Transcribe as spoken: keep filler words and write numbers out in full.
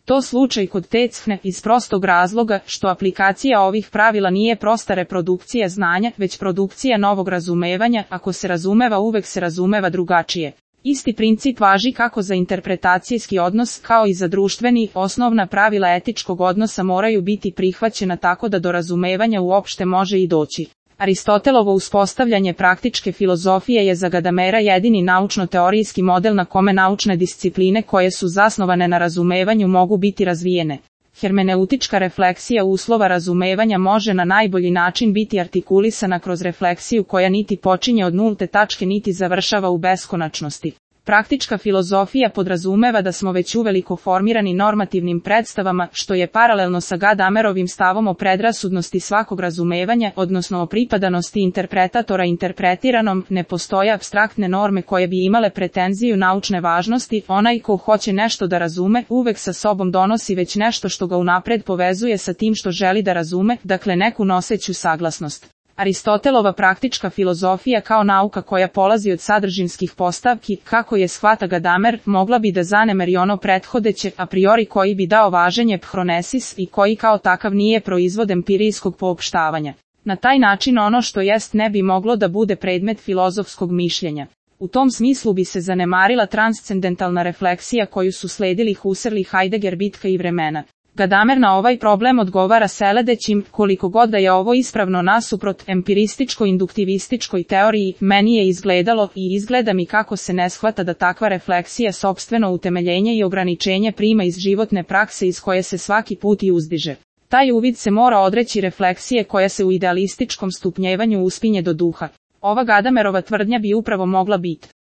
to slučaj kod Teckne iz prostog razloga što aplikacija ovih pravila nije prosta reprodukcija znanja, već produkcija novog razumevanja, ako se razumeva uvek se razumeva drugačije. Isti princip važi kako za interpretacijski odnos, kao i za društveni, osnovna pravila etičkog odnosa moraju biti prihvaćena tako da do razumevanja uopšte može i doći. Aristotelovo uspostavljanje praktičke filozofije je za Gadamera jedini naučno-teorijski model na kome naučne discipline koje su zasnovane na razumevanju mogu biti razvijene. Hermeneutička refleksija uslova razumevanja može na najbolji način biti artikulisana kroz refleksiju koja niti počinje od nulte tačke niti završava u beskonačnosti. Praktička filozofija podrazumeva da smo već uveliko formirani normativnim predstavama, što je paralelno sa Gadamerovim stavom o predrasudnosti svakog razumevanja, odnosno o pripadanosti interpretatora interpretiranom, ne postoje apstraktne norme koje bi imale pretenziju naučne važnosti, onaj ko hoće nešto da razume, uvek sa sobom donosi već nešto što ga unapred povezuje sa tim što želi da razume, dakle neku noseću saglasnost. Aristotelova praktička filozofija kao nauka koja polazi od sadržinskih postavki, kako je shvata Gadamer, mogla bi da zanemeri ono prethodeće, a priori koji bi dao važenje phronesis i koji kao takav nije proizvod empirijskog poopštavanja. Na taj način ono što jest ne bi moglo da bude predmet filozofskog mišljenja. U tom smislu bi se zanemarila transcendentalna refleksija koju su sledili Husserl i Heidegger bitka i vremena. Gadamer na ovaj problem odgovara sledećim: koliko god da je ovo ispravno nasuprot empirističko-induktivističkoj teoriji, meni je izgledalo i izgleda mi kako se ne shvata da takva refleksija sopstveno utemeljenje i ograničenje prima iz životne prakse iz koje se svaki put i uzdiže. Taj uvid se mora odreći refleksije koja se u idealističkom stupnjevanju uspinje do duha. Ova Gadamerova tvrdnja bi upravo mogla biti